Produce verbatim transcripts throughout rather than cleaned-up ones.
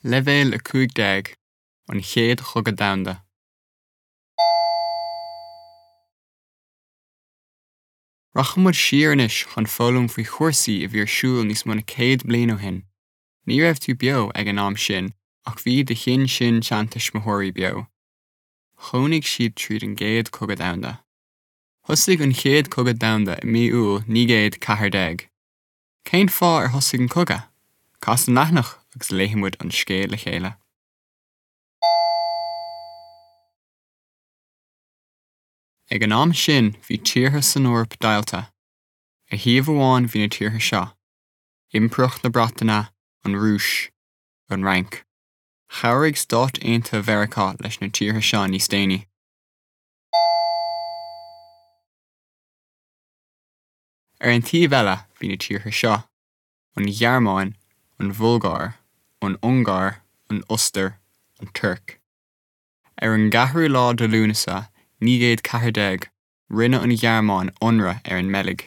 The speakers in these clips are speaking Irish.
Leibhéal a cúig déag, An Chéad Chogadh Domhanda. Rachaidh muid siar anois chun foghlaim faoi chúrsaí a bhí ar siúl níos mó na céad bliain ó shin. Ní raibh tú beo ag an am sin ach bhí do shin-sin-seantuismitheoirí beo. Chónaigh siad tríd an gCéad Chogadh Domhanda. Thosaigh an Chéad Chogadh Domhanda i mí Iúil naoi gcéad ceathair déag. Cén fáth ar thosaigh an cogadh? Cas an leathanach agus léifidh muid an scéal le chéile. Ag an am sin bhí tíortha san Eoraip deighilte. Ar thaobh amháin bhí na tíortha seo: Impireacht na Breataine, an Rúis, an Fhrainc. Chabhraigh Stáit Aontaithe Mheiriceá leis na tíortha seo níos déanaí. Ar an taobh eile bhí na tíortha seo: an Ghearmáin, an Bhulgáir, an Ungáir, an Ostair, an Tuirc. Ar an gceathrú lá de Lúnasa naoi gcéad ceathair déag, rinne an Ghearmáin ionradh ar an mBeilg.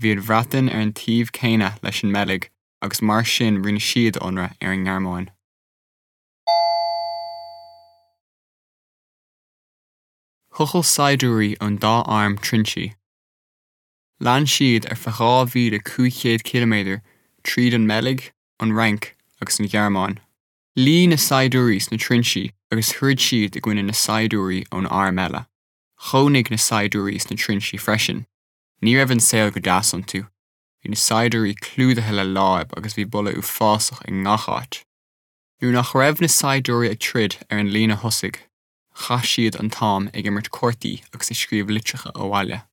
Bhí an Bhreatain ar an taobh céanna leis an mBeilg agus mar sin rinne siad ionradh ar an nGearmáin. Thochail saighdiúirí ón dá arm trinsí. Lean siad ar feadh dhá mhíle cúig chéad ciliméadar tríd an mBeilg, an Fhrainc agus an Ghearmáin. Luigh na saighdiúirí sna trinsí agus throid siad i gcoinne na saighdiúirí ón arm eile. Chónaigh na saighdiúirí sna trinsí freisin. Ní raibh an saol go deas iontu. Bhí na saighdiúirí clúdaithe le láib agus bhí boladh uafásach i ngach áit. Nuair nach raibh na saighdiúirí ag troid ar an líne thosaigh, chaith siad an t-am ag imirt cártaí agus ag scríobh litreacha abhaile.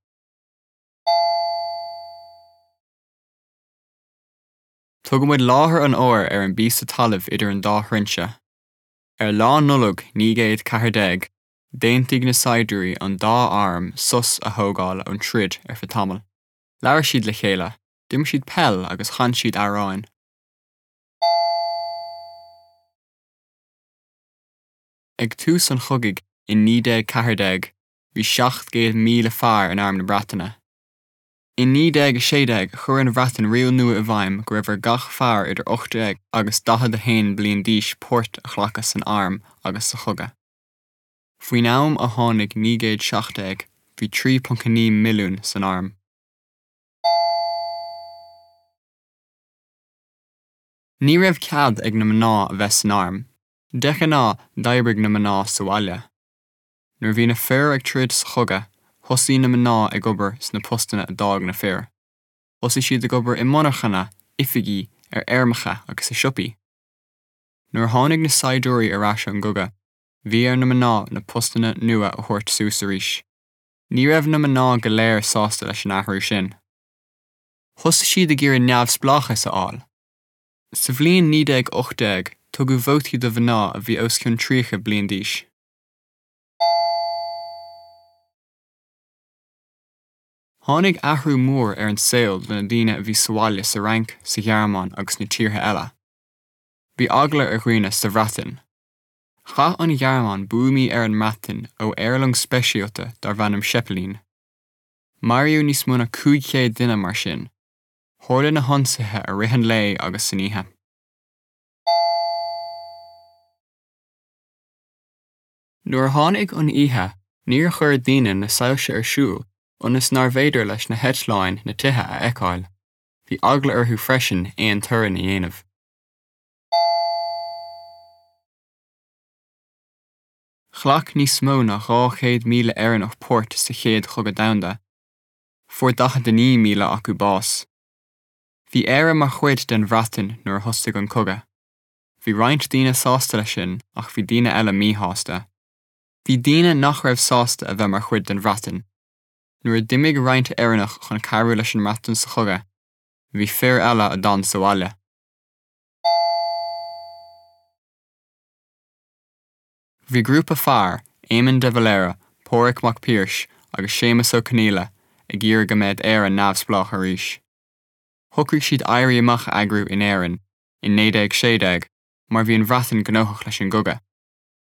Tugann muid láthair an áir ar an bpíosa talaimh idir an dá thrinse. Ar Lá Nollag naoi gcéad ceathair déag, d'aontaigh na saighdiúirí ón dá arm sos a thógáil ón troid ar feadh tamaill. Labhair siad le chéile, d'imir siad peil agus chan siad amhráin. Ag tús an chogaidh in naoi déag ceathair déag, bhí seacht gcéad míle fear in Arm na Breataine. In naoi déag a sé déag, chuir an Bhreatain riail nua i bhfeidhm go raibh ar gach fear idir ocht déag agus daichead a haon bliain d'aois páirt a ghlacadh san arm agus sa chogadh. Faoin am a tháinig naoi gcéad seacht déag, bhí trí ponc a naoi milliún san arm. Ní raibh cead ag na mná a bheith san arm. De ghnáth, d'oibrigh na mná sa bhaile. Nuair a bhí na fir ag troid sa chogadh, thosaigh na mná ag obair sna postanna a d'fhág na fir. Thosaigh siad ag obair i monarchana, oifigí, ar fheirmeacha agus i siopaí. Nuair a tháinig na saighdiúirí ar ais ón gcogadh, bhí ar na mná na postanna nua a thabhairt suas arís. Ní raibh na mná go léir sásta leis an athrú sin. Thosaigh siad ag iarraidh neamhspleáchas a fháil. Sa bhliain naoi déag ocht déag, tugadh vótaí do mhná a bhí os cionn tríocha bliain d'aois. Tháinig athrú mór ar an saol do na daoine a bhí sa bhaile sa Fhrainc, sa Ghearmáin agus sna tíortha eile. Bhí eagla ar dhaoine sa Bhreatain. Chaith an Ghearmáin buamaí ar an mBreatain ó aerlong speisialta darbh ainm Zeppelin. Maraíodh níos mó ná cúig chéad duine mar sin. Tharla na hionsaithe i rith an lae agus san oíche. Nuair a tháinig an oíche, níor chuir daoine na soilse ar siúl ionas nárbh fhéidir leis na heitleáin na tithe a fheiceáil. Bhí eagla orthu freisin aon torann a dhéanamh. Ghlac níos mó ná dhá chéad míle Éireannach páirt sa Chéad Chogadh Domhanda. Fuair daichead a naoi míle acu bás. Bhí Éire mar chuid den Bhreatain nuair a thosaigh an cogadh. Bhí roinnt daoine sásta leis sin ach bhí daoine eile míshásta. Bhí daoine nach raibh sásta a bheith mar chuid den Bhreatain. Nuair a d'imigh roinnt Éireannach chun cabhrú leis an mBreatain sa chogadh, bhí fir eile a d'fhan sa bhaile. Bhí grúpa fear, Éamon de Valera, Pádraig Mac Piarais agus Séamus Ó Conghaile, ag iarraidh go mbeadh Éire neamhspleách arís. Shocraigh siad éirí amach a eagrú in Éirinn in naoi déag sé déag mar bhí an Bhreatain gnóthach leis an gcogadh.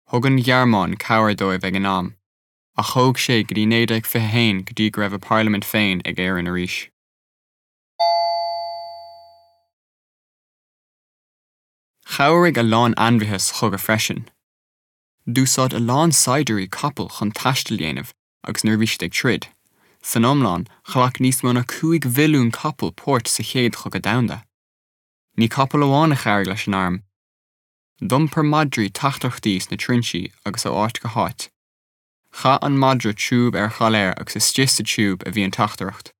Thug an Ghearmáin cabhair dóibh ag an am, ach thóg sé go dtí naoi déag fiche haon go dtí go raibh a parlaimint féin ag Éirinn arís. Chabhraigh a lán ainmhithe sa chogadh freisin. D'úsáid a lán saighdiúirí capaill chun taisteal a dhéanamh agus nuair a bhí siad ag troid. San iomlán ghlac níos mó ná cúig mhilliún capall páirt sa chéad chogadh domhanda. Ní capaill amháin a chabhraigh leis an arm. D'iompair madraí teachtaireachtaí sna trinsí agus ó áit go háit. Chaith an madra tiúb ar chailéar agus istigh sa tiúb a bhí an teachtaireacht.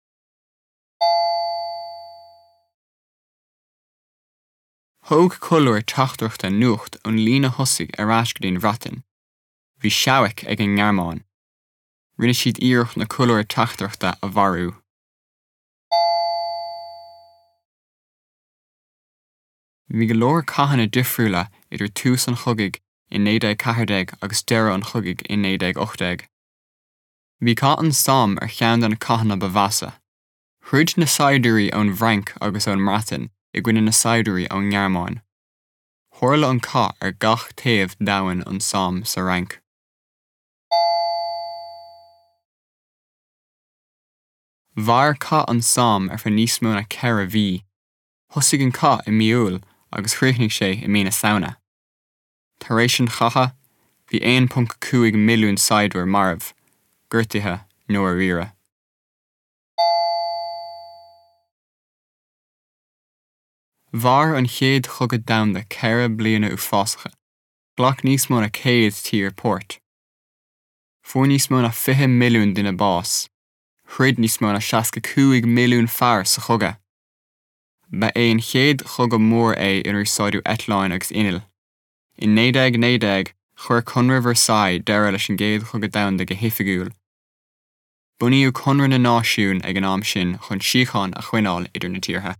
Thóg colúr teachtaireachta nuacht ón líne thosaigh ar ais go dtí an Bhreatain. Bhí seabhac ag an nGearmáin. Rinne siad iarracht na colúir teachtaireachta a mharú. Bhí go leor cathanna difriúla idir tús an chogaidh in naoi déag ceathair déag agus deireadh an chogaidh in naoi déag ocht déag. Bhí Cath an Somme ar cheann de na cathanna ba mheasa. Throid na saighdiúirí ón bhFrainc agus ón mBreatain i gcoinne na saighdiúirí ón nGearmáin. Tharla an cath ar gach taobh d'abhainn an Somme sa Fhrainc. Mhair Cath an Somme ar feadh níos mó ná ceithre mhí. Thosaigh an cath i mí Iúil agus chríochnaigh sé i mí na Samhna. Tar éis an chatha, bhí aon ponc cúig milliún saighdiúir marbh, gortaithe nó ar iarraidh. Mhair an Chéad Chogadh Domhanda ceithre bliana uafásacha. Ghlac níos mó ná céad tír páirt. Fuair níos mó ná fiche milliún duine bás. Throid níos mó ná seasca cúig milliún fear sa chogadh. Ba é an chéad chogadh mór é inar úsáideadh eitleáin agus innill. In naoi déag naoi déag, chuir Conradh Versailles deireadh leis an gCéad Chogadh Domhanda go hoifigiúil. Bunaíodh Conradh na Náisiún ag an am sin chun síocháin a choinneáil idir na tíortha.